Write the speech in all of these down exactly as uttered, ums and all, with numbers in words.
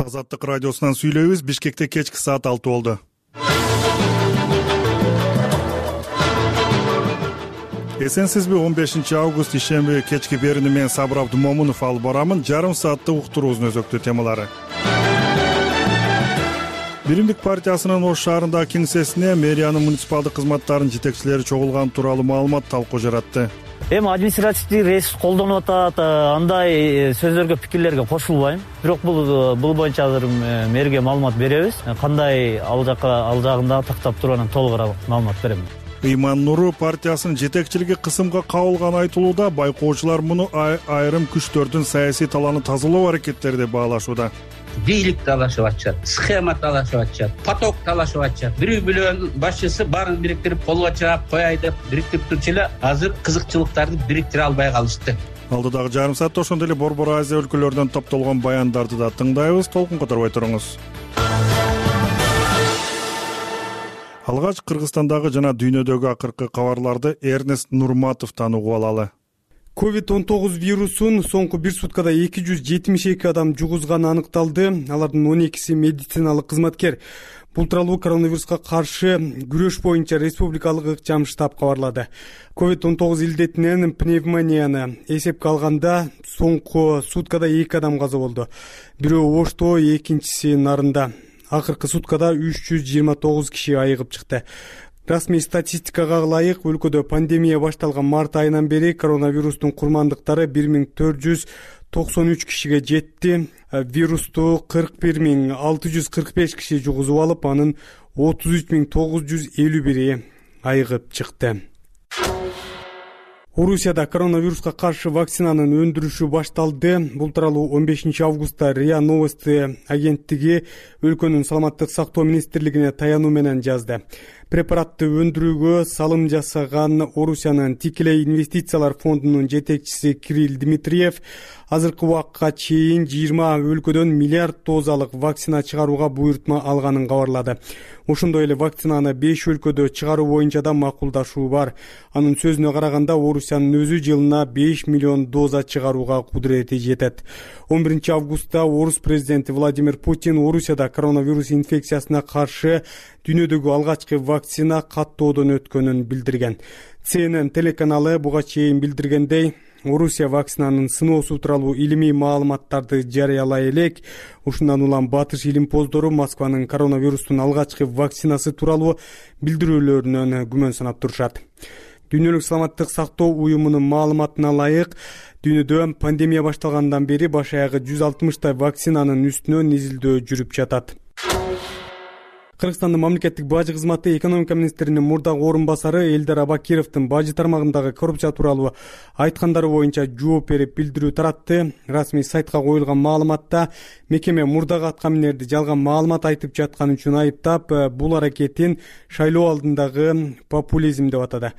Азаттык радиосунан сүйлөйбүз. Бишкекте кечки саат алты болду. Эсенсизби, он бешинчи август ишемби кечки берүүнү мен Сабыр Абдумомунов алып барамын. Жарым сааттык уктуруубуздун өзөктүү темалары. Биримдик партиясынын Ош шаарындагы кеңсесине мэриянын муниципалдык кызматтарынын жетекчилери чогулган тууралуу маалымат талкуу жаратты. Эми административдик ресурс колдонуп атат, андай сөздөргө, пикирлерге кошулбайм. Бирок бул бул боюнча азыр мэрге маалымат беребиз. Кандай ал жакка ал жагында тактап туруп анан толугураак маалымат берем. Ыйман Нуру партиясынын жетекчилиги кысымга кабылган айтылууда байкоочулар муну айрым күчтөрдүн саясий талааны тазалоо аракеттери деп баалашууда. Бийлик талашып атышат, схема талашып атышат, поток талашып атышат. Бирөө бөлөнүн башчысы баарын бириктирип колго чыгап кояй деп бириктирип турчу эле азыр кызыкчылыктарды бириктире албай калышты. Алдыдагы жарым саатта ошондой эле Борбор Азия өлкөлөрүнөн топтолгон баяндарды да тыңдайбыз. Толкун которбой туруңуз. Алгач Кыргызстандагы жана дүйнөдөгү акыркы кабарларды Эрнест Нурматовдон угуп алалы. ковид он тогуз вирусун соңку бир суткада эки жүз жетимиш эки адам жугузганы аныкталды. Алардын он экиси медициналык кызматкер. Бул тууралуу коронавируска каршы күрөш боюнча республикалык ыкчам штаб кабарлады. ковид он тогуз илдетинен пневмонияны эсепке алганда соңку суткада эки адам каза болду. Бирөө Ошто, экинчиси Нарында. Акыркы суткада үч жүз жыйырма тогуз киши айыгып чыкты. Расмий статистикага ылайык өлкөдө пандемия башталган март айынан бери коронавирустун курмандыктары бир миң төрт жүз токсон үч кишиге жетти. Вирусту кырк бир миң алты жүз кырк беш киши жугузуп алып, анын отуз үч миң тогуз жүз элүү бири айыгып чыкты. Орусияда коронавируска каршы вакцинанын өндүрүшү башталды. Бул тууралуу он бешинчи августта РИА Новости агенттиги өлкөнүн саламаттык сактоо министрлигине таянуу менен жазды. Препаратты өндүрүүгө салым жасаган Орусиянын тикелей инвестициялар фондунун жетекчиси Кирилл Дмитриев азыркы убакка чейин жыйырма өлкөдөн миллиард дозалык вакцина чыгарууга буйртма алганын кабарлады. Ошондой эле вакцинаны беш өлкөдө чыгаруу боюнча да макулдашуу бар. Анын сөзүнө караганда Орусиянын өзү жылына беш миллион доза чыгарууга кудурети жетет. он биринчи августта Орус президенти Владимир Путин Орусияда коронавирус инфекциясына каршы дүйнөдөгү алгачкы вакцина каттоодон өткөнүн билдирген. Си Эн Эн телеканалы буга чейин билдиргендей, Орусия вакцинанын сыноосу тууралуу илимий маалыматтарды жарыялай элек. Ушундан улам батыш илимпоздору Москванын коронавирустун алгачкы вакцинасы тууралуу билдирүүлөрүнөн күмөн санап турушат. Дүйнөлүк саламаттык сактоо уюмунун маалыматына ылайык, дүйнөдө пандемия башталгандан бери баш аягы жүз алтымыштай вакцинанын үстүнөн изилдөө жүрүп жатат. Кыргызстандын мамлекеттик бажы кызматы экономика министринин мурдагы орун басары Элдар Абакировдун бажы тармагындагы коррупция тууралуу айткандары боюнча жооп берип билдирүү таратты. Расмий сайтка коюлган маалыматта мекеме мурдагы аткаминерди жалган маалымат айтып жатканы үчүн айыптап, бул аракетин шайлоо алдындагы популизм деп атады.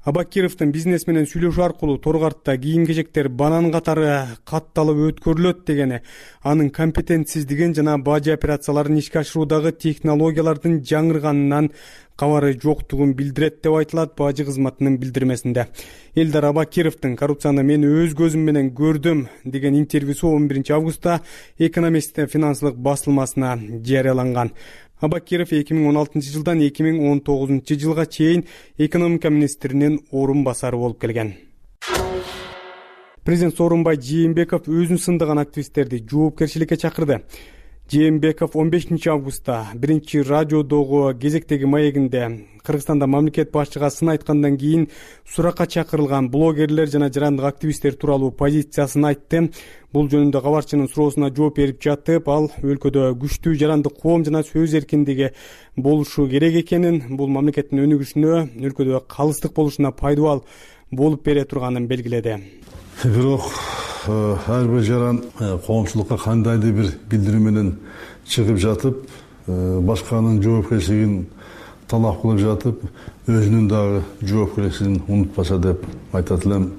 Абакировдун бизнес менен сүйлөшүү аркылуу торгартта кийим-кечектер банан катары катталып өткөрүлөт дегени, анын компетентсиздигин жана бажы операцияларын ишке ашыруудагы технологиялардын жаңырганынан кабары жоктугун билдирет деп айтылат бажы кызматынын билдирмесинде. Элдар Абакировдун коррупцияны мен өз көзүм менен көрдүм деген интервьюсу он биринчи августта Экономист финансылык басылмасына жарыяланган. Абакиров эки миң он алтынчы жылдан эки миң он тогузунчу жылга чейин экономика министринин орун басары болуп келген. Президент Сооронбай Жээнбеков өзүн сындаган активисттерди жоопкерчиликке чакырды. Жээнбеков он бешинчи августта биринчи радиодогу кезектеги маегинде Кыргызстанда мамлекет башчыга сын айткандан кийин суракка чакырылган блогерлер жана жарандык активисттер тууралуу позициясын айтты. Бул жөнүндө кабарчынын суроосуна жооп берип жатып, ал өлкөдө күчтүү жарандык коом жана сөз эркиндиги болушу керек экенин, бул мамлекеттин өнүгүшүнө, өлкөдө калыстык болушуна пайдабал болуп бере турганын белгиледи. Бирок ар бир жаран коомчулукка кандайдыр бир билдирүү менен чыгып жатып, башканын жоопкерчилигин талап кылып жатып, өзүнүн дагы жоопкерчилигин унутпаса деп айтат элем.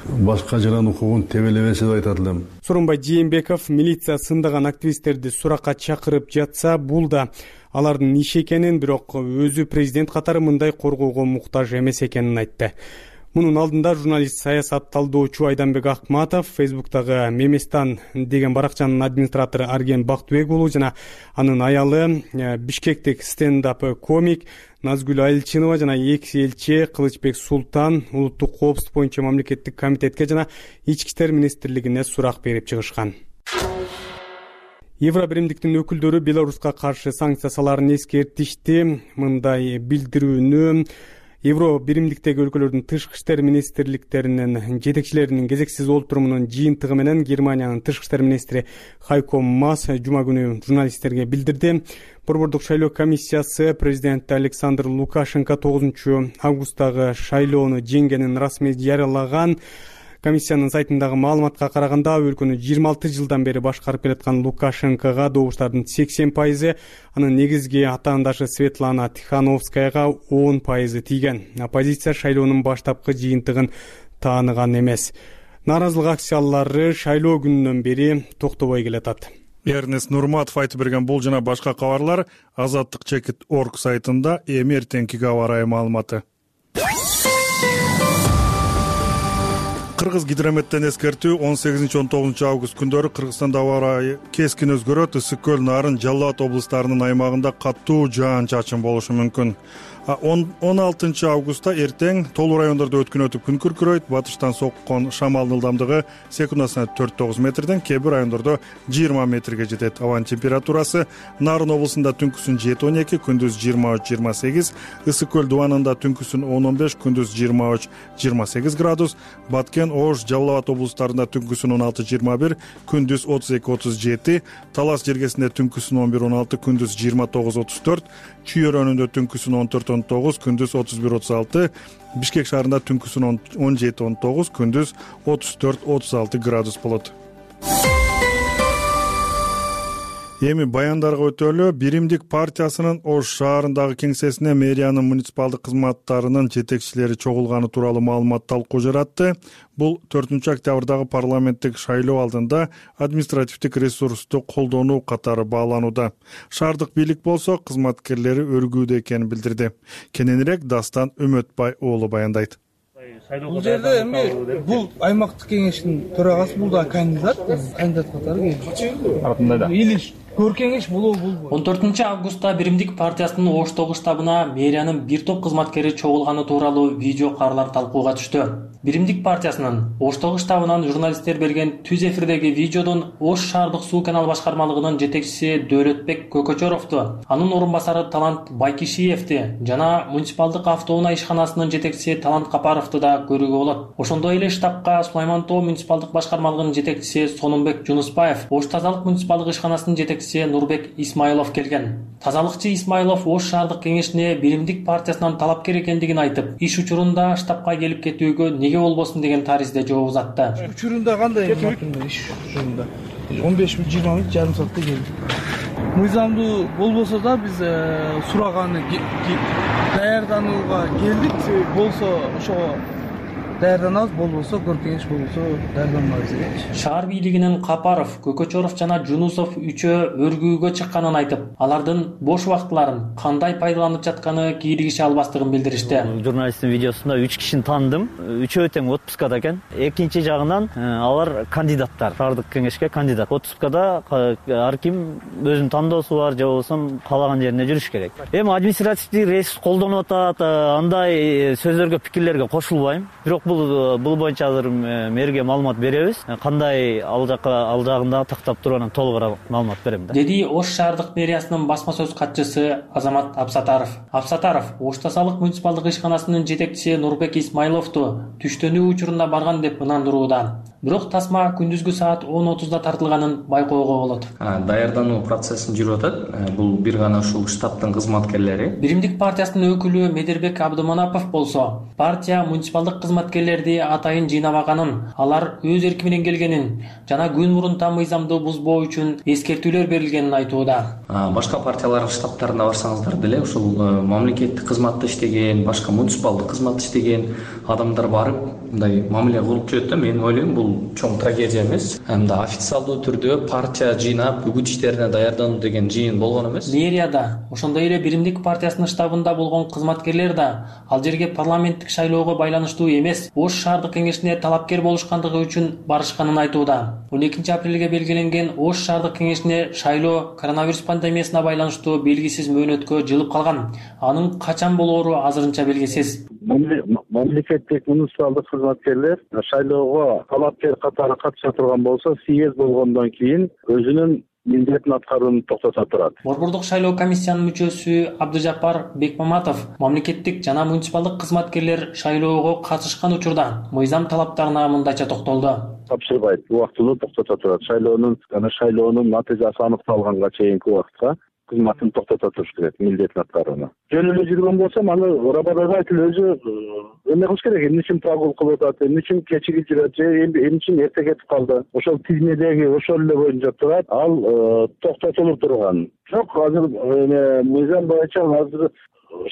Башка жаран укугун тебелебесе деп айтат элем. Сооронбай Жээнбеков милиция сындаган активисттерди суракка чакырып жатса, бул да алардын иши экенин, бирок өзү президент катары мындай коргоого муктаж эмес экенин айтты. Мунун алдында журналист, саясат талдоочу Айданбек Акматов, Фейсбуктагы Меместан деген баракчанын администратору Арген Бактыбек уулу жана анын аялы, Бишкектик стендап комик Назгүл Айылчынова жана экс элчи Кылычбек Султан улуттук коопсуздук боюнча мамлекеттик комитетке жана Ички иштер министрлигине сурак берип чыгышкан. Евробиримдиктин өкүлдөрү Беларуска каршы санкция салаарын эскертишти. Мындай билдирүүнү Евробиримдиктеги өлкөлөрдүн тышкы иштер министрликтеринин жетекчилеринин кезексиз олтурумунун жыйынтыгы менен Германиянын тышкы иштер министри Хайко Маас жума күнү журналисттерге билдирди. Борбордук шайлоо комиссиясы президент Александр Лукашенко тогузунчу августтагы шайлоону жеңгенин расмий жарыялаган. Комиссиянын сайтындагы маалыматка караганда өлкөнү жыйырма алты жылдан бери башкарып келаткан Лукашенкого добуштардын сексен пайызы, анын негизги атаандашы Светлана Тихановскаяга он пайызы тийген. Оппозиция шайлоонун баштапкы жыйынтыгын тааныган эмес. Нааразылык акциялары шайлоо күнүнөн бери токтобой келатат. Эрнест Нурматов айтып берген бул жана башка кабарлар азаттык чекит точка орг сайтында эми эртеңкиге аба ырайы маалыматы. Кыргыз гидрометтен эскертүү он сегизинчи он тогузунчу август күндөрү Кыргызстанда аба ырайы кескин өзгөрөт. Ысык көл, Нарын, Жалал Абад облустарынын аймагында катуу жаан-чачын болушу мүмкүн. он алтынчы августта эртең толуу райондордо өткөн өтүп күн күркүрөйт. Батыштан соккон шамалдын ылдамдыгы секундасына төрт тогуз метрден, кээ бир райондордо жыйырма метрге жетет. Абанын температурасы Нарын облусунда түнкүсүн жети он эки, күндүз жыйырма үч жыйырма сегиз, Ысык көл дубанында түнкүсүн он он беш, күндүз жыйырма үч жыйырма сегиз градус, Баткен, Ош, Жалал Абад облустарында түнкүсүн он алты жыйырма бир, күндүз отуз эки отуз жети, Талас жергесинде түнкүсүн он бир он алты, күндүз жыйырма тогуз отуз төрт, Чүй өрөөнүндө түнкүсүн он төрт он тогуз, күндүз отуз бир отуз алты, Бишкек шаарында түнкүсүн он жети он тогуз, күндүз отуз төрт отуз алты градус болот. Эми баяндарга өтөлү. Биримдик партиясынын Ош шаарындагы кеңсесине мэриянын муниципалдык кызматтарынын жетекчилери чогулганы тууралуу маалымат талкуу жаратты. Бул төртүнчү октябрдагы парламенттик шайлоо алдында административдик ресурсту колдонуу катары бааланууда. Шаардык бийлик болсо кызматкерлери өргүүдө экенин билдирди. Кененирээк Дастан Үмөтбай уулу баяндайт. Бул жерде эми бул аймактык кеңештин төрагасы, бул да кандидат, кандидат катары келди. Илиш көркеңеш болобу болбойбу? он төртүнчү августта Биримдик партиясынын Оштогу штабына мэриянын бир топ кызматкери чогулганы тууралуу видео кадрлар талкууга түштү. Биримдик партиясынын Оштогу штабынан журналисттер берген түз эфирдеги видеодон Ош шаардык суу канал башкармалыгынын жетекчиси Дөөлөтбек Көкөчөровду, анын орун басары Талант Байкишиевди жана муниципалдык автоунаа ишканасынын жетекчиси Талант Капаровду да көрүүгө болот. Ошондой эле штабка Сулайман Тоо муниципалдык башкармалыгынын жетекчиси Сонунбек Жунуспаев, Ош тазалык муниципалдык ишканасынын жетекчиси Нурбек Исмайлов келген. Тазалыкчы Исмайлов Ош шаардык кеңешине Биримдик партиясынан талапкер экендигин айтып, иш учурунда штабка келип кетүүгө неге болбосун деген таризде жооп узатты. Учурунда кандай иш учурунда? он беш мүнөт жыйырма мүнөт жарым саатта келди. Мыйзамдуу болбосо да биз сураганы даярданууга келдик. Болсо ошого даярданабыз, болбосо көркеңеш, болбосо даярданбайбыз дегенчи. Шаар бийлигинин Капаров, Көкөчөров жана Жунусов үчөө өргүүгө чыкканын айтып, алардын бош убактыларын кандай пайдаланып жатканы кийлигише албастыгын билдиришти. Журналисттин видеосунда үч кишини таандым. Үчөө тең отпускада экен. Экинчи жагынан алар кандидаттар, шаардык кеңешке кандидат. Отпускада ар ким өзүнүн тандоосу бар, же болбосо каалаган жерине жүрүш керек. Эми административдик ресурс колдонуп атат, андай сөздөргө, пикирлерге кошулбайм. Бирок бул бул боюнча азыр мэрге маалымат беребиз. Кандай ал жакка ал жагында тактап туруп анан толугураак маалымат берем да. Деди Ош шаардык мэриясынын басма сөз катчысы Азамат Абсатаров. Абсатаров Ош тазалык муниципалдык ишканасынын жетекчиси Нурбек Исмайловду түштөнүү учурунда барган деп ынандырууда. Бирок тасма күндүзгү саат он отузда тартылганын байкоого болот. Даярдануу процессин жүрүп атат. Бул бир гана ушул штабтын кызматкерлери. Биримдик партиясынын өкүлү Медербек Абдыманапов болсо, партия муниципалдык кызматкерлерди атайын жыйнабаганын, алар өз эрки менен келгенин жана күн мурун там мыйзамды бузбоо үчүн эскертүүлөр берилгенин айтууда. Башка партиялардын штабтарына барсаңыздар деле ушул мамлекеттик кызматта иштеген, башка муниципалдык кызматта иштеген адамдар барып мындай мамиле кылып жүрөт да, мен ойлойм бул чоң трагедия эмес. Мындай официалдуу түрдө партия жыйнап үгүт иштерине даярдануу деген жыйын болгон эмес. Мэрияда, ошондой эле Биримдик партиясынын штабында болгон кызматкерлер да ал жерге парламенттик шайлоого байланыштуу эмес, Ош шаардык кеңешине талапкер болушкандыгы үчүн барышканын айтууда. он экинчи апрелге белгиленген Ош шаардык кеңешине шайлоо коронавирус пандемиясына байланыштуу белгисиз мөөнөткө жылып калган. Анын качан болоору азырынча белгисиз. Мамлекеттик муниципалдык кызматкерлер шайлоого талапкер катары катыша турган болсо, съезд болгондон кийин өзүнүн милдетин аткарууну токтото турат. Борбордук шайлоо комиссиянын мүчөсү Абдыжапар Бекмаматов мамлекеттик жана муниципалдык кызматкерлер шайлоого катышкан учурда мыйзам талаптарына мындайча токтолду. Тапшырбайт, убактылуу токтото турат. Шайлоонун жана шайлоонун натыйжасы аныкталганга чейинки убакытка кызматын токтото туруш керек, милдетин аткарууну. Жөн эле жүргөн болсо, аны работодатель өзү эме кылыш керек. Эмне үчүн прогул кылып атат, эмне үчүн кечиги жүрөт, же эмне үчүн эрте кетип калды. Ошол тизмедеги ошол эле боюнча турат, ал токтотулуп турган. Жок, азыр эме мыйзам боюнча азыр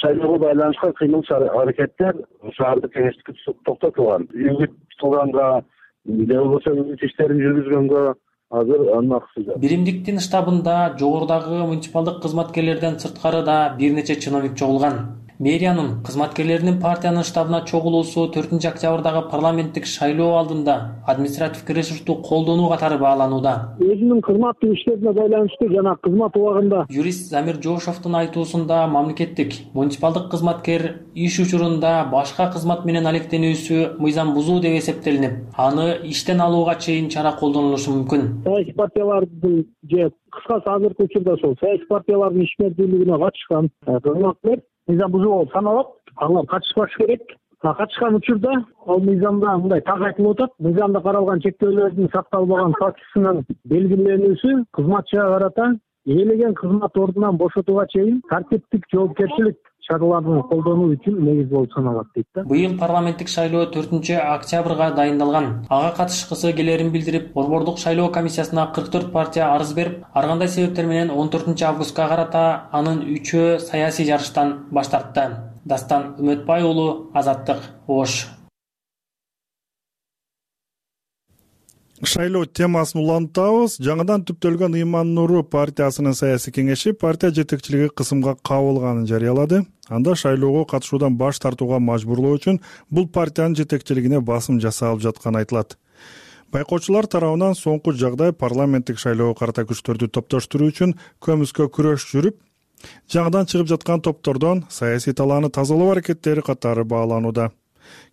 шайлоого байланышкан кыймыл аракеттер шаардык кеңештикке токтотулган. Үгүт кылганга, же болбосо үгүт иштерин жүргүзгөнгө азыр анын акысы жок. Биримдиктин штабында жогорудагы муниципалдык кызматкерлерден сырткары да бир нече чиновник чогулган. Мэриянын кызматкерлеринин партиянын штабына чогулуусу төртүнчү октябрдагы парламенттик шайлоо алдында административдик ресурсту колдонуу катары бааланууда. Өзүнүн кызматтык иштерине байланыштуу жана кызмат убагында. Юрист Замир Жошовдун айтуусунда мамлекеттик муниципалдык кызматкер иш учурунда башка кызмат менен алектенүүсү мыйзам бузуу деп эсептелинип, аны иштен алууга чейин чара колдонулушу мүмкүн. Саясий партиялардын же кыскасы азыркы учурда ошол саясий партиялардын ишмердүүлүгүнө катышкан кызматкерлер мыйзам бузуу болуп саналат. Алар катышпаш керек. Катышкан учурда ал мыйзамда мындай так айтылып атат. Мыйзамда каралган чектөөлөрдүн сакталбаган фактысынын белгиленүүсү кызматчыга карата ээлеген кызмат ордунан бошотууга чейин тартиптик жоопкерчилик чараларын колдонуу үчүн негиз болуп саналат дейт да. Быйыл парламенттик шайлоо төртүнчү октябрга дайындалган. Ага катышкысы келерин билдирип, Борбордук шайлоо комиссиясына кырк төрт партия арыз берип, ар кандай себептер менен он төртүнчү августка карата анын үчөө саясий жарыштан баш тартты. Дастан Үмөтбай уулу, Азаттык, Ош. Шайлоо темасын улантабыз. Жаңыдан түптөлгөн Ыйман Нуру партиясынын саясий кеңеши партия жетекчилиги кысымга кабылганын жарыялады. Анда шайлоого катышуудан баш тартууга мажбурлоо үчүн бул партиянын жетекчилигине басым жасалып жатканы айтылат. Байкоочулар тарабынан соңку жагдай парламенттик шайлоого карата күчтөрдү топтоштуруу үчүн көмүскө күрөш жүрүп, жаңыдан чыгып жаткан топтордон саясий талааны тазалоо аракеттери катары бааланууда.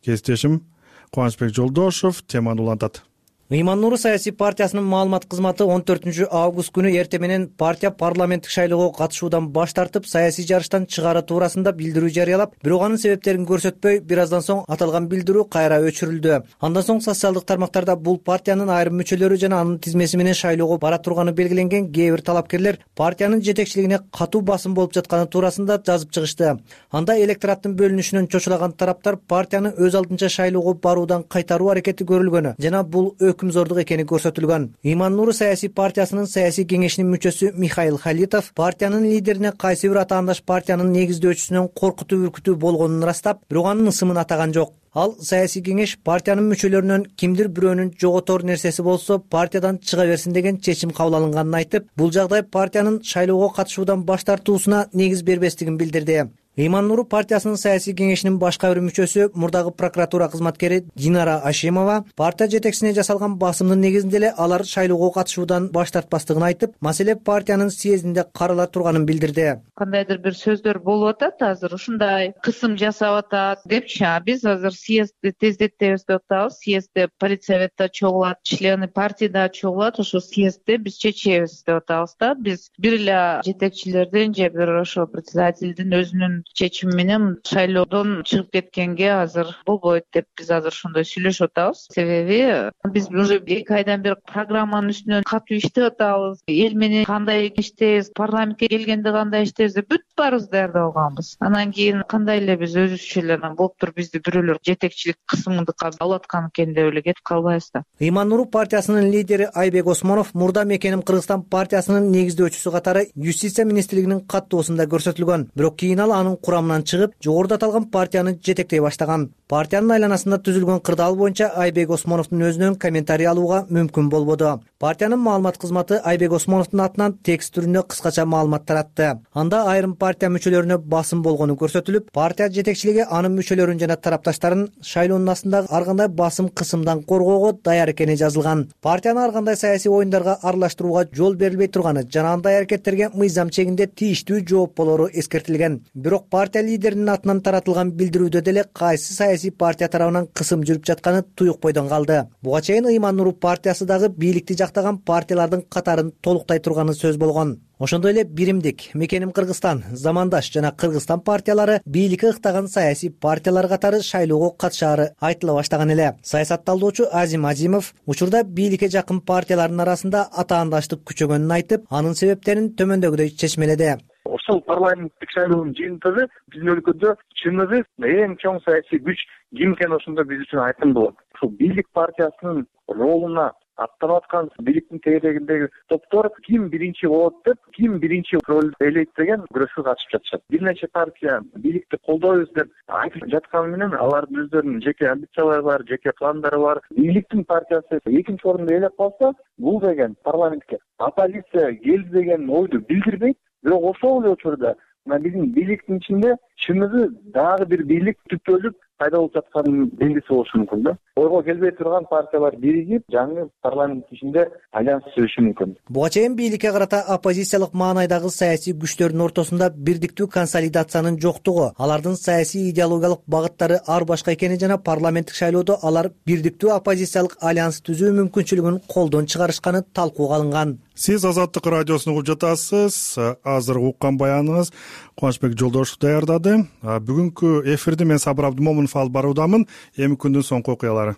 Кесиптешим Кубанычбек Жолдошов теманы улантат. Ыйман Нуру саясий партиясынын маалымат кызматы он төртүнчү август күнү эрте менен партия парламенттик шайлоого катышуудан баш тартып, саясий жарыштан чыгаары туурасында билдирүү жарыялап, бирок анын себептерин көрсөтпөй, бир аздан соң аталган билдирүү кайра өчүрүлдү. Андан соң социалдык тармактарда бул партиянын айрым мүчөлөрү жана анын тизмеси менен шайлоого бара турганы белгиленген кээ бир талапкерлер партиянын жетекчилигине катуу басым болуп жатканы туурасында жазып чыгышты. Анда электораттын бөлүнүшүнөн чочулаган тараптар партияны өз алдынча шайлоого баруудан кайтаруу аракети көрүлгөнү жана бул өкүмзордук экени көрсөтүлгөн. Ыйман Нуру саясий партиясынын саясий кеңешинин мүчөсү Михаил Халитов партиянын лидерине кайсы бир атаандаш партиянын негиздөөчүсүнөн коркутуу үркүтүү болгонун ырастап, бирок анын ысымын атаган жок. Ал саясий кеңеш партиянын мүчөлөрүнөн кимдир бирөөнүн жоготор нерсеси болсо партиядан чыга берсин деген чечим кабыл алынганын айтып, бул жагдай партиянын шайлоого катышуудан баш тартуусуна негиз бербестигин билдирди. Ыйман Нуру партиясынын саясий кеңешинин башка бир мүчөсү, мурдагы прокуратура кызматкери Динара Ашимова партия жетекчисине жасалган басымдын негизинде эле алар шайлоого катышуудан баш тартпастыгын айтып, маселе партиянын съездинде карала турганын билдирди. Кандайдыр бир сөздөр болуп атат, азыр ушундай кысым жасап атат депчи, а биз азыр съездди тездетебиз деп атабыз. Съездде политсоветте чогулат, члены партияда чогулат, ошо съездде биз чечебиз деп атабыз да. Биз бир эле жетекчилердин же бир ошо председательдин өзүнүн чечими менен шайлоодон чыгып кеткенге азыр болбойт деп биз азыр ошондой сүйлөшүп атабыз. Себеби биз уже эки айдан бери программанын үстүнөн катуу иштеп атабыз. Эл менен кандай иштейбиз, парламентке келгенде кандай иштейбиз деп бүт баарыбыз даярдап алганбыз. Анан кийин кандай эле биз өзүбүзчө эле анан болуп туруп бизди бирөөлөр жетекчилик кысымдыкка алып аткан экен деп эле кетип калбайбыз да. Ыйман Нуру партиясынын лидери Айбек Осмонов мурда Мекеним Кыргызстан партиясынын негиздөөчүсү катары Юстиция министрлигинин каттоосунда көрсөтүлгөн. Бирок кийин ал анын курамынан чыгып, жогоруда аталган партияны жетектей баштаган. Партиянын айланасында түзүлгөн кырдаал боюнча Айбек Осмоновдун өзүнөн комментарий алууга мүмкүн болбоду. Партиянын маалымат кызматы Айбек Осмоновдун атынан текст түрүндө кыскача маалымат таратты. Анда айрым партия мүчөлөрүнө басым болгону көрсөтүлүп, партия жетекчилиги анын мүчөлөрүн жана тарапташтарын шайлоонун астындагы ар кандай басым кысымдан коргоого даяр экени жазылган. Партияны ар кандай саясий оюндарга аралаштырууга жол берилбей турганы жана андай аракеттерге мыйзам чегинде тийиштүү жооп болору эскертилген. Бирок партия лидеринин атынан таратылган билдирүүдө деле кайсы саясий партия тарабынан кысым жүрүп жатканы туюк бойдон калды. Буга чейин Ыйман Нуру партиясы дагы бийликти жактаган партиялардын катарын толуктай турганы сөз болгон. Ошондой эле Биримдик, Мекеним Кыргызстан, Замандаш жана Кыргызстан партиялары бийликке ыктаган саясий партиялар катары шайлоого катышаары айтыла баштаган эле. Саясатталдоочу Азим Азимов учурда бийликке жакын партиялардын арасында атаандаштык күчөгөнүн айтып, анын себептерин төмөндөгүдөй чечмеледи. Ошол парламенттик шайлоонун жыйынтыгы биздин өлкөдө чыныгы эң чоң саясий күч ким экени ошондо биз үчүн айкын болот. Ушул бийлик партиясынын ролуна аттанып аткан бийликтин тегерегиндеги топтор ким биринчи болот деп, ким биринчи ролду ээлейт деген күрөшкө катышып жатышат. Бир нече партия бийликти колдойбуз деп айтып жатканы менен алардын өздөрүнүн жеке амбициялары бар, жеке пландары бар. Бийликтин партиясы экинчи орунду ээлеп калса, бул деген парламентке оппозиция келди деген ойду билдирбейт. Бирок ошол эле учурда мына биздин бийликтин ичинде чыныгы дагы бир бийлик түптөлүп пайда болуп жатканын белгиси болушу мүмкүн да. Ойго келбей турган партиялар биригип, жаңы парламент ичинде альянс түзүшү мүмкүн. Буга чейин бийликке карата оппозициялык маанайдагы саясий күчтөрдүн ортосунда бирдиктүү консолидациянын жоктугу, алардын саясий идеологиялык багыттары ар башка экени жана парламенттик шайлоодо алар бирдиктүү оппозициялык альянс түзүү мүмкүнчүлүгүн колдон чыгарышканы талкууга алынган. Сиз Азаттык радиосун угуп жатасыз. Азыр уккан баяныңыз Кубанычбек Жолдошев даярдады. Бүгүнкү эфирди мен Сабыр Абдымомунов алып баруудамын. Эми күндүн соңку окуялары.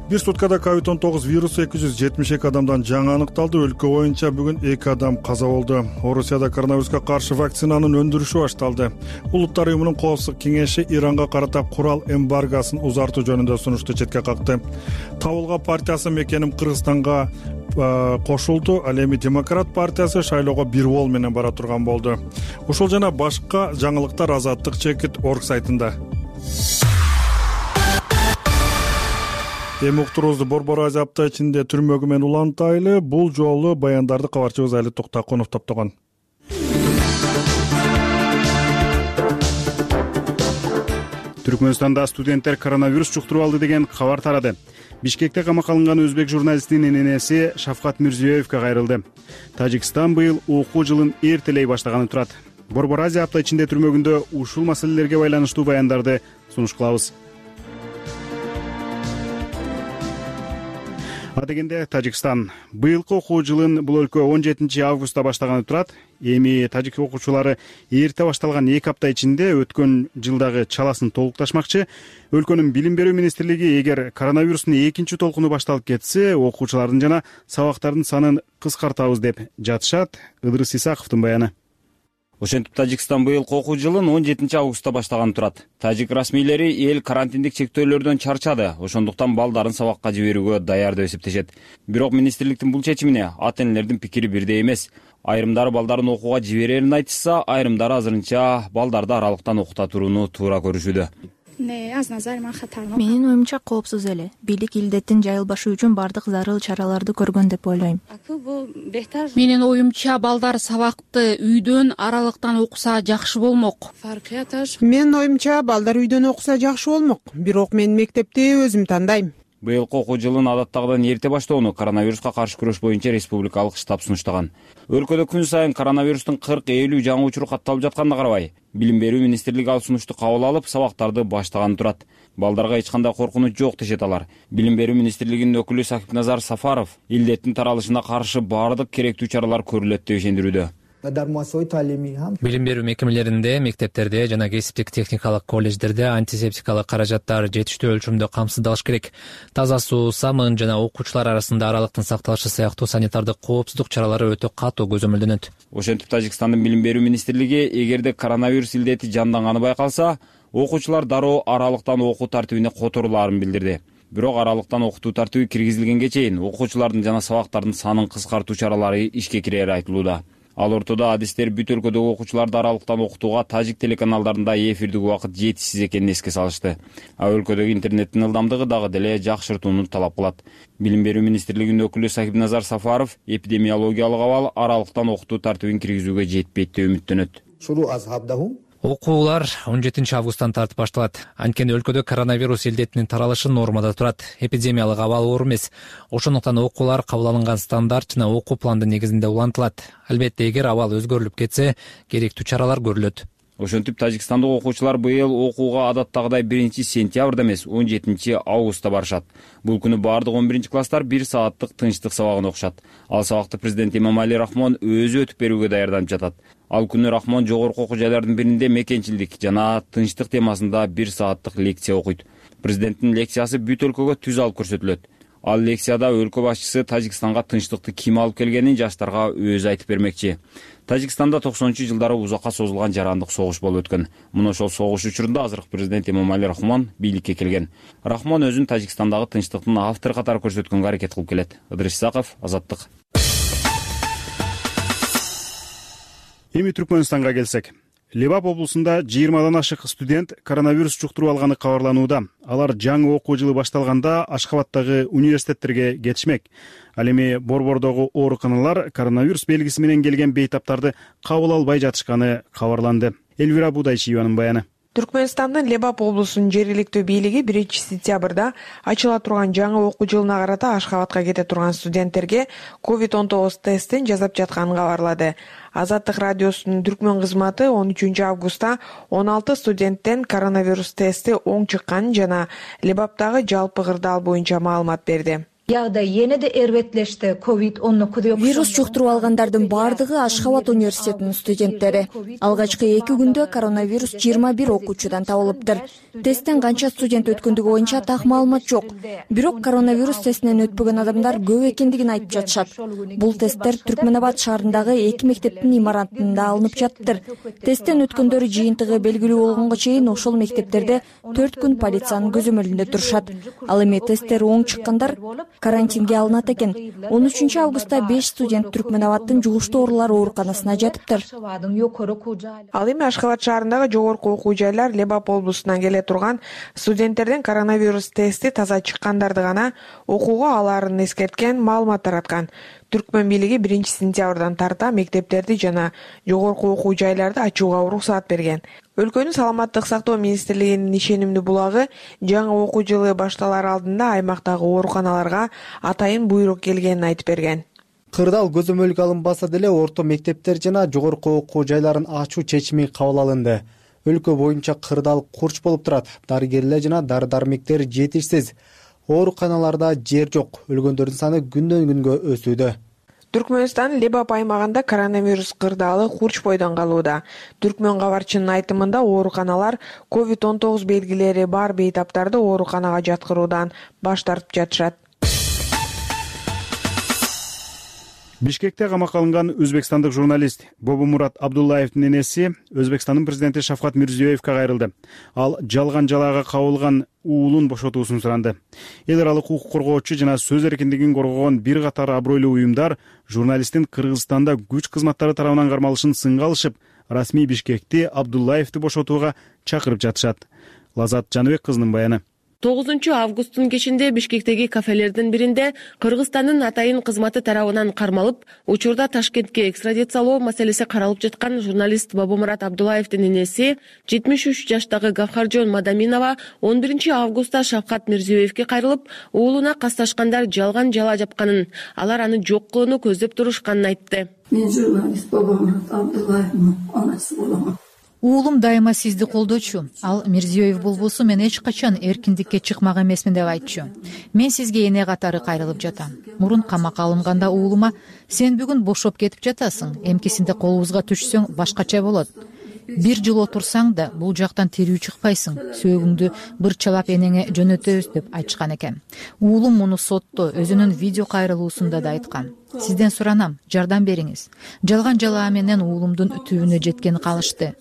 Бир суткада ковид он тогуз вирусу эки жүз жетимиш эки адамдан жаңы аныкталды. Өлкө боюнча бүгүн эки адам каза болду. Орусияда коронавируска каршы вакцинанын өндүрүшү башталды. Улуттар уюмунун коопсуздук кеңеши Иранга карата курал эмбаргосын узартуу жөнүндө сунушту четке какты. Табылга партиясы Мекеним Кыргызстанга кошулду. Ал эми Демократ партиясы шайлоого бир бол менен бара турган болду. Ушул жана башка жаңылыктар Азаттык чекит орг сайтында. Эми уктуруубузду Борбор Азия апта ичинде түрмөгү менен улантайлы. Бул жолу баяндарды кабарчыбыз Али Токтакунов топтогон. Түркмөнстанда студенттер коронавирус жуктуруп алды деген кабар тарады. Бишкекте камакка алынган өзбек журналистинин энеси Шавкат Мирзиёевке кайрылды. Тажикстан быйыл окуу жылын эртелей баштаганы турат. Борбор Азия апта ичинде түрмөгүндө ушул маселелерге байланыштуу баяндарды сунуш кылабыз. Адегенде Тажикстан быйылкы окуу жылын бул өлкө он жетинчи августта баштаганы турат. Эми тажик окуучулары эрте башталган эки апта ичинде өткөн жылдагы чаласын толукташмакчы. Өлкөнүн билим берүү министрлиги эгер коронавирустун экинчи толкуну башталып кетсе, окуучулардын жана сабактардын санын кыскартабыз деп жатышат. Ыдырыс Исаковдун баяны. Ошентип Тажикстан быйылкы окуу жылын он жетинчи августта баштаганы турат. Тажик расмийлери эл карантиндик чектөөлөрдөн чарчады, ошондуктан балдарын сабакка жиберүүгө даяр деп эсептешет. Бирок министрликтин бул чечимине ата энелердин пикири бирдей эмес. Айрымдары балдарын окууга жиберерин айтышса, айрымдары азырынча балдарды аралыктан окута турууну туура көрүшүүдө. Менин оюмча коопсуз эле. Бийлик илдеттин жайылбашы үчүн бардык зарыл чараларды көргөн деп ойлойм. Менин оюмча балдар сабакты үйдөн аралыктан окуса жакшы болмок. Менин оюмча балдар үйдөн окуса жакшы болмок. Бирок мен мектепти өзүм тандайм. Быйылкы окуу жылын адаттагыдан эрте баштоону коронавируска каршы күрөш боюнча республикалык штаб сунуштаган. Өлкөдө күн сайын коронавирустун кырк элүү жаңы учуру катталып жатканына карабай, билим берүү министрлиги ал сунушту кабыл алып, сабактарды баштаганы турат. Балдарга эч кандай коркунуч жок дешет алар. Билим берүү министрлигинин өкүлү Сакипназар Сафаров илдеттин таралышына каршы баардык керектүү чаралар көрүлөт деп ишендирүүдө. билим берүү мекемелеринде, мектептерде жана кесиптик техникалык колледждерде антисептикалык каражаттар жетиштүү өлчөмдө камсыздалыш керек. Таза суу, самын жана окуучулар арасында аралыктын сакталышы сыяктуу санитардык коопсуздук чаралары өтө катуу көзөмөлдөнөт. Ошентип Тажикстандын билим берүү министрлиги эгерде коронавирус илдети жанданганы байкалса, окуучулар дароо аралыктан окуу тартибине которулаарын билдирди. Бирок аралыктан окутуу тартиби киргизилгенге чейин окуучулардын жана сабактардын санын кыскартуу чаралары ишке кирери айтылууда. Ал ортодо адистер бүт өлкөдөгү окуучуларды аралыктан окутууга тажик телеканалдарында эфирдик убакыт жетишсиз экенин эске салышты. А өлкөдөгү интернеттин ылдамдыгы дагы деле жакшыртууну талап кылат. Билим берүү министрлигинин өкүлү Сахибназар Сафаров эпидемиологиялык абал аралыктан окутуу тартибин киргизүүгө жетпейт деп үмүттөнөт. Окуулар он жетинчи августтан тартып башталат. Анткени өлкөдө коронавирус илдетинин таралышы нормада турат. Эпидемиялык абал оор эмес. Ошондуктан окуулар кабыл алынган стандарт жана окуу пландын негизинде улантылат. Албетте, эгер абал өзгөрүлүп кетсе, керектүү чаралар көрүлөт. Ошентип Тажикстандык окуучулар быйыл окууга адаттагыдай биринчи сентябрда эмес, он жетинчи августта барышат. Бул күнү баардык он биринчи класстар бир сааттык тынчтык сабагын окушат. Ал сабакты президент Эмомали Рахмон өзү өтүп берүүгө даярданып жатат. Ал күнү Рахмон жогорку окуу жайлардын биринде мекенчилдик жана тынчтык темасында бир сааттык лекция окуйт. Президенттин лекциясы бүт өлкөгө түз алып көрсөтүлөт. Ал лекцияда өлкө башчысы Тажикстанга тынчтыкты ким алып келгенин жаштарга өзү айтып бермекчи. Тажикстанда токсонунчу жылдары узакка созулган жарандык согуш болуп өткөн. Мына ошол согуш учурунда азыркы президент Эмомали Рахмон бийликке келген. Рахмон өзүн Тажикстандагы тынчтыктын автору катары көрсөткөнгө аракет кылып келет. Ыдырыш Исаков, Азаттык. Эми Түркмөнстанга келсек. Лебап облусунда жыйырмадан ашык студент коронавирус жуктуруп алганы кабарланууда. Алар жаңы окуу жылы башталганда Ашхабадтагы университеттерге кетишмек. Ал эми борбордогу ооруканалар коронавирус белгиси менен келген бейтаптарды кабыл албай жатышканы кабарланды. Элвира Будайчиеванын баяны. Түркмөнстандын Лебап облусунун жергиликтүү бийлиги биринчи сентябрда ачыла турган жаңы окуу жылына карата Ашхабадка кете турган студенттерге ковид он тогуз тестин жасап жатканын кабарлады. Азаттык радиосунун түркмөн кызматы он үчүнчү августта он алты студенттен коронавирус тести оң чыкканын жана Лебаптагы жалпы кырдаал боюнча маалымат берди. Вирус жуктуруп алгандардын баардыгы Ашхабад университетинин студенттери. Алгачкы эки күндө коронавирус жыйырма бир окуучудан табылыптыр. Тесттен канча студент өткөндүгү боюнча так маалымат жок. Бирок коронавирус тестинен өтпөгөн адамдар көп экендигин айтып жатышат. Бул тесттер Түркмөнабад шаарындагы эки мектептин имаратында алынып жатыптыр. Тесттен өткөндөр жыйынтыгы белгилүү болгонго чейин ошол мектептерде төрт күн полициянын көзөмөлүндө турушат. Ал эми тесттери оң чыккандар карантинге алынат экен. он үчүнчү августта беш студент Түркмөнабадтын жугуштуу оорулар ооруканасына жатыптыр. Ал эми Ашхабад шаарындагы жогорку окуу жайлар Лебап облусунан келе турган студенттердин коронавирус тести таза чыккандарды гана окууга алаарын эскерткен маалымат тараткан. Түркмөн бийлиги биринчи сентябрдан тарта мектептерди жана жогорку окуу жайларды ачууга уруксаат берген. Өлкөнүн саламаттык сактоо министрлигинин ишенимдүү булагы жаңы окуу жылы башталар алдында аймактагы ооруканаларга атайын буйрук келгенин айтып берген. Кырдаал көзөмөлгө алынбаса деле орто мектептер жана жогорку окуу жайларын ачуу чечими кабыл алынды. Өлкө боюнча кырдаал курч болуп турат. Дарыгерлер жана дары-дармектер жетишсиз. Ооруканаларда жер жок. Өлгөндөрдүн саны күндөн күнгө өсүүдө. Түркмөнстан Лебап аймагында коронавирус кырдаалы курч бойдон калууда. Түркмөн кабарчынын айтымында ооруканалар ковид он тогуз белгилери бар бейтаптарды ооруканага жаткыруудан баш тартып жатышат. Бишкекте камакка алынган өзбекстандык журналист Бобомурат Абдуллаевдин энеси Өзбекстандын президенти Шавкат Мирзиёевке кайрылды. Ал жалган жалаага кабылган уулун бошотуусун суранды. Эл аралык укук коргоочу жана сөз эркиндигин коргогон бир катар абройлуу уюмдар журналисттин Кыргызстанда күч кызматтары тарабынан кармалышын сынга алышып, расмий Бишкекти Абдуллаевди бошотууга чакырып жатышат. Лазат Жаныбек кызынын баяны. тогузунчу августтун кечинде Бишкектеги кафелердин биринде Кыргызстандын атайын кызматы тарабынан кармалып, учурда Ташкентке экстрадициялоо маселеси каралып жаткан журналист Бобомурат Абдуллаевдин энеси жетимиш үч жаштагы Гавхаржон Мадаминова он биринчи августта Шавкат Мирзиёевке кайрылып, уулуна касташкандар жалган жала жапканын, алар аны жок кылууну көздөп турушканын айтты. Мен журналист Бобомурат Абдуллаевдин анасы боломун. уулум дайыма сизди колдочу. Ал Мирзиёев болбосо мен эч качан эркиндикке чыкмак эмесмин деп айтчу. Мен сизге эне катары кайрылып жатам. Мурун камакка алынганда уулума сен бүгүн бошоп кетип жатасың, эмкисинде колубузга түшсөң башкача болот. Бир жыл отурсаң да бул жактан тирүү чыкпайсың. Сөөгүңдү бырчалап энеңе жөнөтөбүз деп айтышкан экен. Уулум муну сотто өзүнүн видео кайрылуусунда да айткан. Сизден суранам, жардам бериңиз. Жалган жалаа менен уулумдун түбүнө жеткени калышты.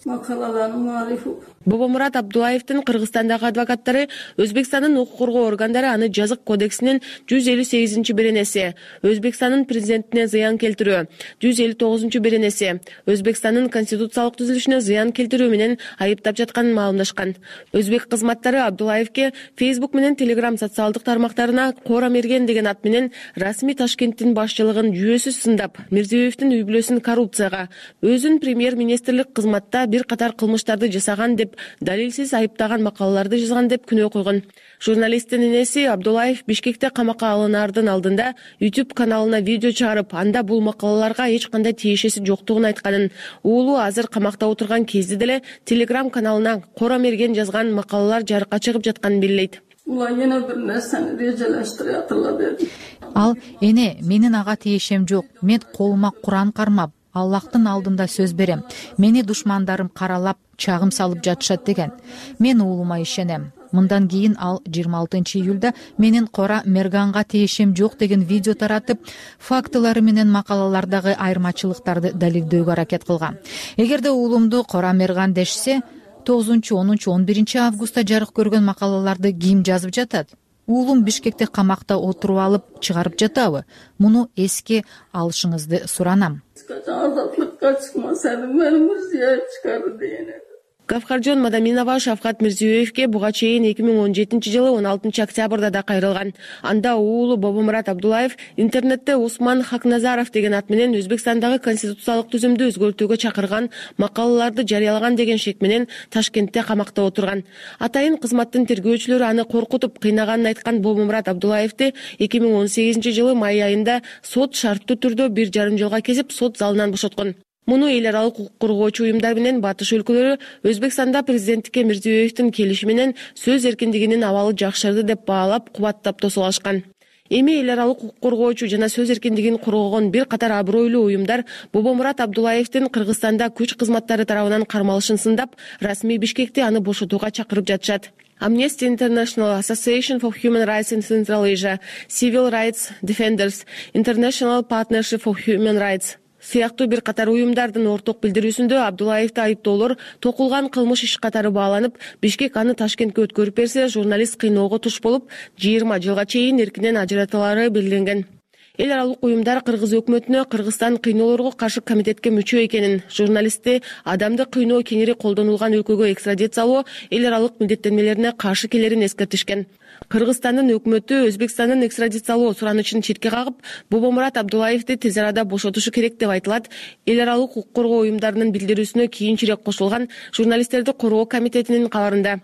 Бобомурат Абдулаевдин Кыргызстандагы адвокаттары Өзбекстандын укук коргоо органдары аны жазык кодексинин жүз элүү сегизинчи беренеси, Өзбекстандын президентине зыян келтирүү, жүз элүү тогузунчу беренеси, Өзбекстандын конституциялык түзүлүшүнө зыян келтирүү менен айыптап жатканын маалымдашкан. Өзбек кызматтары Абдулаевке Facebook менен Telegram социалдык тармактарына Кора Мерген деген ат менен расмий Ташкенттин башчылыгын жүйөсүз сындап, Мирзиёевдин үй бүлөсүн коррупцияга, өзүн премьер-министрлик кызматта бир катар кылмыштарды жасаган деп далилсиз айыптаган макалаларды жазган деп күнөө койгон. Журналисттин энеси Абдулаев Бишкекте камакка алынаардын алдында YouTube каналына видео чыгарып, анда бул макалаларга эч кандай тиешеси жоктугун айтканын, уулу азыр камакта отурган кезде деле Telegram каналына Кора Мерген жазган макалалар жарыкка чыгып жатканын белгилейт. Ал эне менин ага тиешем жок. Мен колума Куран кармап, Аллахтын алдында сөз берем. Мени душмандарым каралап, чагым салып жатышат деген. Мен уулума ишенем. Мындан кийин ал жыйырма алтынчы июлда менин Кора Мерганга тиешем жок деген видео таратып, фактылары менен макалалардагы айырмачылыктарды далилдөөгө аракет кылган. Эгерде уулумду Кора Мерган дешсе, тогузунчу, онунчу, он биринчи августта жарык көргөн макалаларды ким жазып жатат? Уулум Бишкекте камакта отуруп алып чыгарып жатабы? Муну эске алышыңызды суранам. Гавхаржон Мадаминова Шавкат Мирзиёевке буга чейин эки миң он жетинчи жылы он алтынчы октябрда да кайрылган. Анда уулу Бобомурат Абдулаев интернетте Усман Хакназаров деген ат менен Өзбекстандагы конституциялык түзүмдү өзгөртүүгө чакырган макалаларды жарыялаган деген шек менен Ташкентте камакта отурган. Атайын кызматтын тергөөчүлөрү аны коркутуп кыйнаганын айткан Бобомурат Абдулаевди эки миң он сегизинчи жылы май айында сот шарттуу түрдө бир жарым жылга кесип сот залынан бошоткон. Муну эл аралык укук коргоочу уюмдар менен батыш өлкөлөрү Өзбекстанда президенттикке Мирзиёевдин келиши менен сөз эркиндигинин абалы жакшырды деп баалап, кубаттап тосуп алышкан. Эми эл аралык укук коргоочу жана сөз эркиндигин коргогон бир катар абройлуу уюмдар Бобомурат Абдулаевдин Кыргызстанда күч кызматтары тарабынан кармалышын сындап, расмий Бишкекте аны бошотууга чакырып жатышат. Amnesty International, Association for Human Rights in Central Asia, Civil Rights Defenders, International Partnership for Human Rights сыяктуу бир катар уюмдардын орток билдирүүсүндө Абдулаевди айыптоолор токулган кылмыш иш катары бааланып, Бишкек аны Ташкентке өткөрүп берсе, журналист кыйноого туш болуп, жыйырма жылга чейин эркинен ажыратылары белгиленген. Эл аралык уюмдар Кыргыз өкмөтүнө Кыргызстан кыйноолорго каршы комитетке мүчө экенин, журналистти адамды кыйноо кеңири колдонулган өлкөгө экстрадициялоо эл аралык милдеттенмелерине каршы келерин эскертишкен. Кыргызстандын өкмөтү Өзбекстандын экстрадициялоо суранычын четке кагып, Бобомурат Абдулаевди тез арада бошотушу керек деп айтылат. Эл аралык укук коргоо уюмдарынын билдирүүсүнө кийинчерээк кошулган журналисттерди коргоо комитетинин кабарында.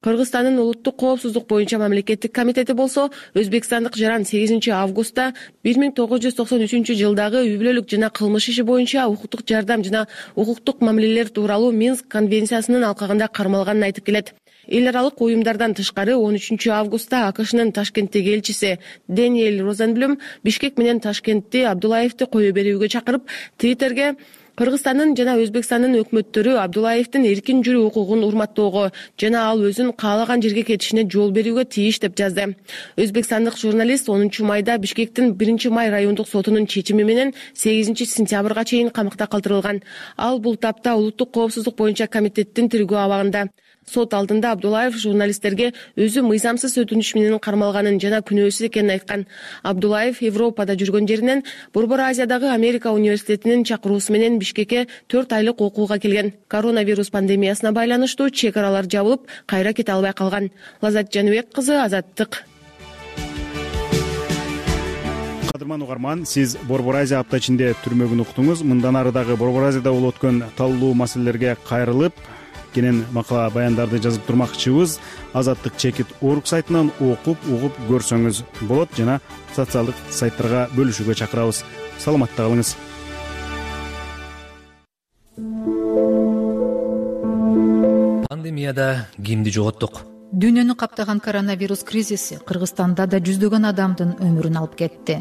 Кыргызстандын улуттук коопсуздук боюнча мамлекеттик комитети болсо, өзбекстандык жаран сегизинчи августта бир миң тогуз жүз токсон үчүнчү жылдагы үй бүлөлүк жана кылмыш иши боюнча укуктук жардам жана укуктук мамилелер тууралуу Минск конвенциясынын алкагында кармалганын айтып келет. Эл аралык уюмдардан тышкары он үчүнчү августта АКШнын Ташкенттеги элчиси Дэниэль Розенблюм Бишкек менен Ташкентти Абдулаевди кое берүүгө чакырып, Твиттерге Кыргызстандын жана Өзбекстандын өкмөттөрү Абдулаевдин эркин жүрүү укугун урматтоого жана ал өзүн каалаган жерге кетишине жол берүүгө тийиш деп жазды. Өзбекстандык журналист онунчу майда Бишкектин биринчи май райондук сотунун чечими менен сегизинчи сентябрга чейин камакта калтырылган. Ал бул тапта улуттук коопсуздук боюнча комитеттин тергөө абагында. Сот алдында Абдулаев журналисттерге өзү мыйзамсыз өтүнүш менен кармалганын жана күнөөсүз экенин айткан. Абдулаев Европада жүргөн жеринен Борбор Азиядагы Америка университетинин чакыруусу менен Бишкекке төрт айлык окууга келген. Коронавирус пандемиясына байланыштуу чек аралар жабылып, кайра кете албай калган. Лазат Жаныбек кызы, Азаттык. Кадырман угарман, сиз Борбор Азия апта ичинде түрмөгүн уктуңуз. Мындан ары дагы Борбор Азияда болуп өткөн таллуу маселелерге кайрылып, кенен макала баяндарды жазып турмакчыбыз. Азаттык чекит орг сайтынан окуп, угуп көрсөңүз болот жана социалдык сайттарга бөлүшүүгө чакырабыз. Саламатта калыңыз. пандемияда кимди жоготтук? Дүйнөнү каптаган коронавирус кризиси Кыргызстанда да жүздөгөн адамдын өмүрүн алып кетти.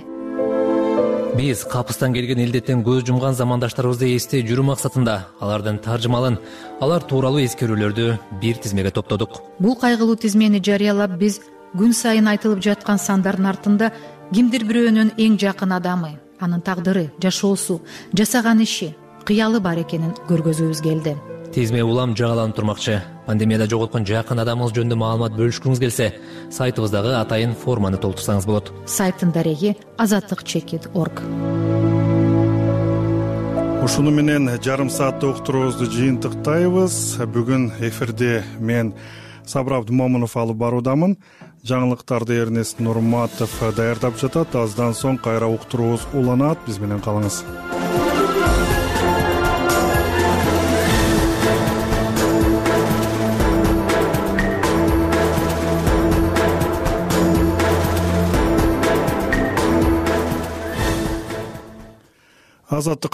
Биз капыстан келген илдеттен көз жумган замандаштарыбызды эстей жүрүү максатында алардын таржымалын, алар тууралуу эскерүүлөрдү бир тизмеге топтодук. Бул кайгылуу тизмени жарыялап, биз күн сайын айтылып жаткан сандардын артында кимдир бирөөнүн эң жакын адамы, анын тагдыры, жашоосу, жасаган иши, кыялы бар экенин көргөзүүбүз келди. Тизме улам жагаланып турмакчы. Пандемияда жоготкон жакын адамыңыз жөнүндө маалымат бөлүшкүңүз келсе, сайтыбыздагы атайын форманы толтурсаңыз болот. Сайттын дареги азаттык чекит точка орг. Ушуну менен жарым сааттык уктуруубузду жыйынтыктайбыз. Бүгүн эфирде мен Сабыр Абдымомунов алып баруудамын. Жаңылыктарды Эрнест Нурматов даярдап жатат. Аздан соң кайра уктуруубуз уланат. Биз менен калыңыз. Азаттык